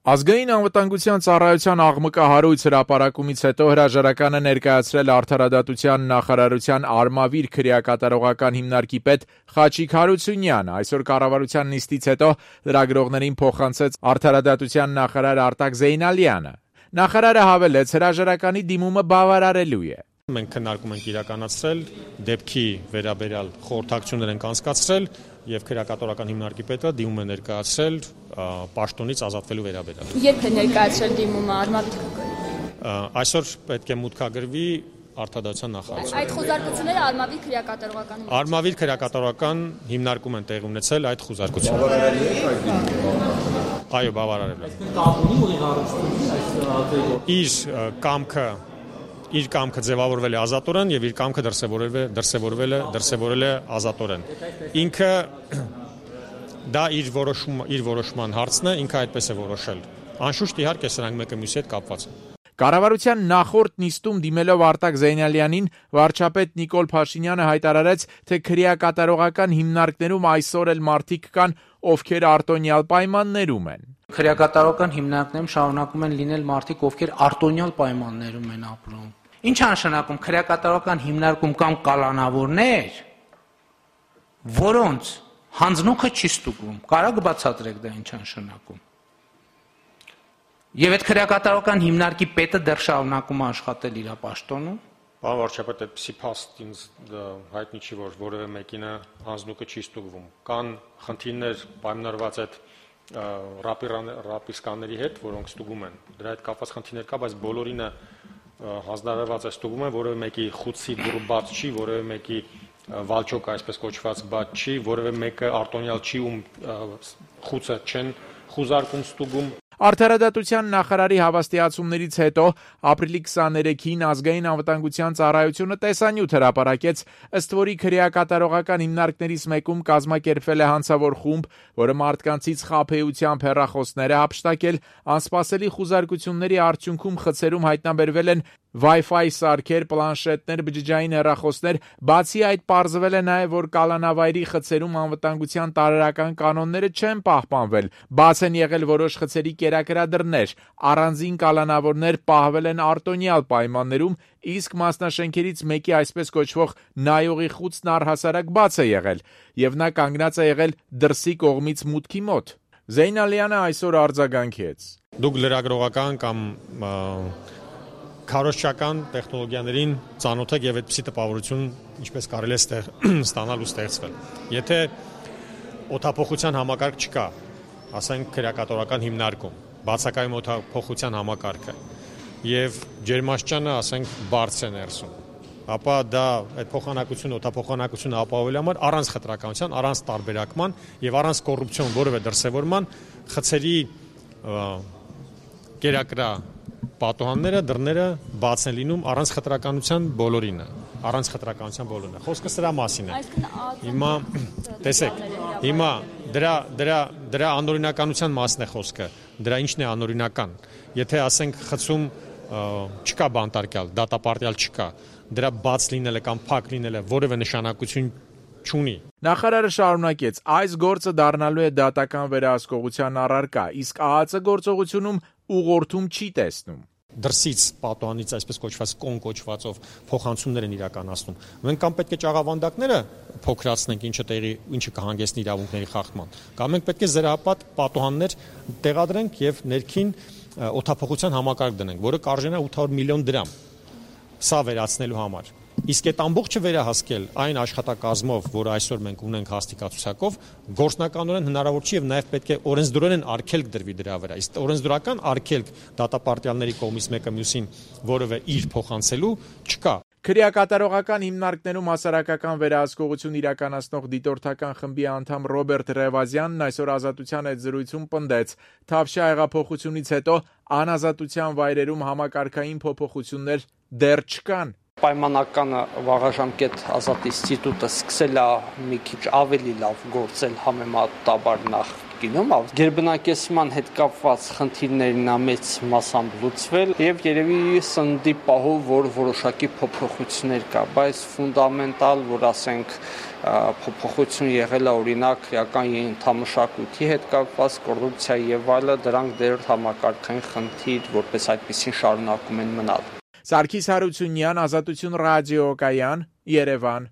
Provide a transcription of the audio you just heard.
Ազգային անվտանգության ծառայության աղմկահարույց հրապարակումից հետո հրաժարականը ներկայացրել Արդարադատության նախարարության Արմավիր քրեակատարողական հիմնարկի պետ Խաչիկ Հարությունյանը։ Այսօր կառավարության նիստից հետո լրագրողներին փոխանցեց Արդարադատության նախարար Արտակ Զեյնալյանը։ Նախարարը հավելեց, հրաժարականի դիմումը բավարարելու է։ Մենք քննարկում ենք իրականացրել, դեպքի վերաբերյալ խորհրդակցություններ ենք անցկացրել եւ քրեակատարողական հիմնարկի պետը դիմում է ներկայացրել պաշտոնից ազատվելու վերաբերյալ։ Երբ է ներկայացրել դիմումը Արմավիր? Այսօր պետք է մուտքագրվի Արդարադատության նախարարության։ Այդ խոզարկությունները Արմավիր քրեակատարողական Արմավիր քրեակատարողական հիմնարկում են տեղի ունեցել այդ խոզարկությունները։ Այո, բավարարել է։ Իր կամքը ձևավորվել է ազատորեն եւ իր կամքը դրսևորվել է ազատորեն։ Ինքը դա իր որոշման հարցն է, ինքը այդպես է որոշել։ Անշուշտ իհարկե սրանք մեկը մյուսի հետ կապված են։ Կառավարության նախորդ նիստում դիմելով Արտակ Զեյնալյանին վարչապետ Նիկոլ Փաշինյանը հայտարարեց, թե քրեակատարողական հիմնարկներում այսօր էլ մարդիկ կան, ովքեր արտոնյալ պայմաններում են։ Քրեակատարողական հիմնարկներում շարունակում են լինել մարդիկ, ովքեր արտոնյալ պայմաններում են ապրում։ Ինչ է նշանակում քրեակատարողական հիմնարկում կամ կալանավորներ, որոնց հանձնուկը չի ստուգվում։ Կարա բացատրեք դա ինչ է նշանակում։ Եվ այդ քրեակատարողական հիմնարկի պետը դեռ շարունակում է աշխատել իր պաշտոնում։ Պարոն վարչապետ, այդպիսի փաստ ինձ հայտնի չի, որ որևէ մեկին հանձնուկը չի ստուգվում։ Կան խնդիրներ պայմանավորված այդ ռապիսկաների հետ, որոնք ստուգում են։ Դրա հետ կապված խնդիրներ կա, բայց բոլորինը հանձնարարված է ստուգում է, որևէ մեկի խուցի դուռը բաց չի, որևէ մեկի վալճոկը այսպես կոչված բաց չի, որևէ մեկը արտոնյալ չի, ում խուցը չեն խուզարկում ստուգում։ Արդարադատության նախարարի հավաստիացումներից հետո ապրիլի 23-ին Ազգային անվտանգության ծառայությունը տեսանյութ հրապարակեց, ըստ որի քրեակատարողական հիմնարկներից մեկում կազմակերպվել է հանցավոր խումբ, որը մարդկանցից խաբեությամբ հեռախոսներ է հափշտակել, անսպասելի խուզարկությունների արդյունքում խցերում հայտնաբերվել են Wi-Fi սարքեր, պլանշետներ, բջջային հեռախոսներ, բացի այդ պարզվել է նաև, որ կալանավայրի խցերում անվտանգության տարրական կանոնները չեն պահպանվել, բաց են եղել որոշ խցերի կերակրադրներ, առանձին կալանավորներ պահվել են արտոնյալ պայմաններում, իսկ մասնաշենքերից մեկի այսպես կոչվող նայողի խուցն առհասարակ բաց է եղել, եւ նա կանգնած է եղել դրսի կողմից մուտքի մոտ։ Զեյնալյանը այսօր արձագանքեց. Դուք լրագրողական կամ քարոզչական տեխնոլոգիաներին ծանոթ եք եւ այդպիսի տպավորություն ինչպես կարելի է ստանալ ու ստեղծվել։ Եթե օդափոխության համակարգ չկա, ասենք քրեակատարողական հիմնարկում, բացակայում օդափոխության համակարգը եւ ջերմաստիճանը, ասենք, բարձր է ներսում, ապա դա այդ օդափոխանակությունը ապահովելու համար առանց խտրականության, առանց տարբերակման եւ առանց կոռուպցիոն որևէ դրսեւորման խցերի կերակրա պատոհանները, դռները բաց են լինում առանց խտրականության բոլորինը, Խոսքը սրա մասին է։ Հիմա տեսեք, հիմա դրա անօրինականության մասն է խոսքը։ Դրա ինչն է անօրինական։ Եթե ասենք խցում չկա բանտարկյալ, դատապարտյալ չկա, դրա բաց լինելը կամ փակ լինելը որևէ նշանակություն չունի։ Նախարարը շարունակեց. այս գործը դառնալու է դատական վերահսկողության առարկա, իսկ ԱԱԾ գործողությունում ուղղորդում չի տեսնում։ Դրսից պատոհանից այսպես կոչված կոչվածով փոխանցումներ են իրականացնում։ Մենք կամ պետք է ճաղավանդակները փոքրացնենք, ինչը կհանգեցնի իրավունքների խախտման, կամ մենք պետք է զրահապատ պատոհաններ տեղադրենք եւ ներքին օդափոխության համակարգ դնենք, որը կարժենա 800 միլիոն դրամ։ Սա վերացնելու համար։ Իսկ այդ ամբողջը վերահասկել այն աշխատակազմով, որը այսօր մենք ունենք հաստիկացուցակով, գործնականորեն հնարավոր չի եւ նաեւ պետք է օրենսդրորեն արգելք դրվի դրա վրա։ Իսկ օրենսդրական արգելք դատապարտյալների կողմից մեկը մյուսին որևէ իր փոխանցելու չկա։ Քրեակատարողական հիմնարկներում հասարակական վերահսկողություն իրականացնող դիտորդական խմբի անդամ Ռոբերտ Ռևազյանն այսօր Ազատության հետ զրույցում պնդեց. Թավշյա հեղափոխությունից հետո անազատության վայրերում համակարգային փոփոխություններ դեռ չկան։ Պայմանական վաղաժամկետ ազատ ինստիտուտը սկսել է մի քիչ ավելի լավ գործել համեմատաբար նախ գինում, գերբնակեցման հետ կապված խնդիրներն մեծ մասամբ լուծվել եւ երևի սննդի պահով որ որոշակի փոփոխություններ կա, բայց ֆունդամենտալ, որ ասենք փոփոխություն եղել է օրինակ քրեական ենթամշակույթի հետ կապված կոռուպցիա եւ այլը, դրանք դեռ համակարգային խնդիր որպես այդպեսին շարունակում են մնալ։ Սարգիս Հարությունյան, Ազատություն ռադիոկայան, Երևան։